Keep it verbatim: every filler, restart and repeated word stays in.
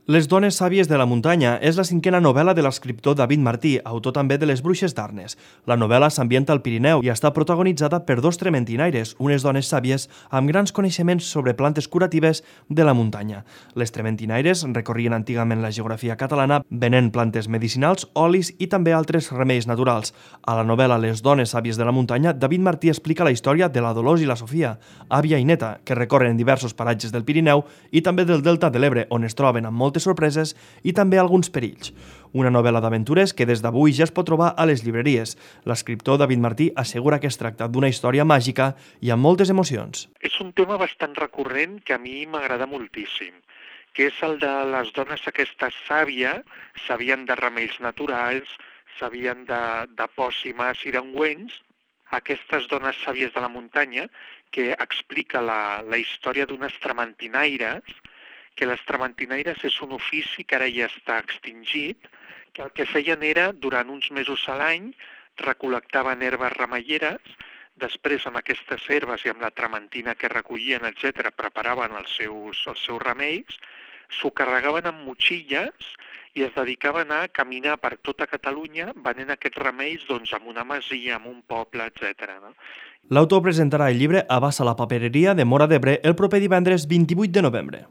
Les dones sàvies de la muntanya és la cinquena novel·la de l'escriptor David Martí, autor també de Les bruixes d'Arnes. La novel·la s'ambienta al Pirineu i està protagonitzada per dos trementinaires, unes dones sàvies amb grans coneixements sobre plantes curatives de la muntanya. Les trementinaires recorrien antigament la geografia catalana venent plantes medicinals, olis i també altres remeis naturals. A la novel·la Les dones sàvies de la muntanya, David Martí explica la història de la Dolors i la Sofia, àvia i neta, que recorren diversos paratges del Pirineu i també del Delta de l'Ebre, on es troben amb moltes sorpreses i també alguns perills. Una novel·la d'aventures que des d'avui ja es pot trobar a les llibreries. L'escriptor David Martí assegura que es tracta d'una història màgica i amb moltes emocions. És un tema bastant recurrent que a mi m'agrada moltíssim, que és el de les dones aquestes sàvies, sabien de remeis naturals, sabien de, de pòssimes i d'ungüents, aquestes dones sàvies de la muntanya, que explica la, la història d'unes trementinaires, que les trementinaires és un ofici que ara ja està extingit, que el que feien era, durant uns mesos a l'any, recol·lectaven herbes remeieres, després amb aquestes herbes i amb la trementina que recollien, etcètera, preparaven els seus, els seus remeis, s'ho carregaven amb motxilles i es dedicaven a caminar per tota Catalunya venent aquests remeis doncs, en una masia, en un poble, etcètera. No? L'autor presentarà el llibre a Bassa la Papereria de Móra d'Ebre el proper divendres vint-i-vuit de novembre.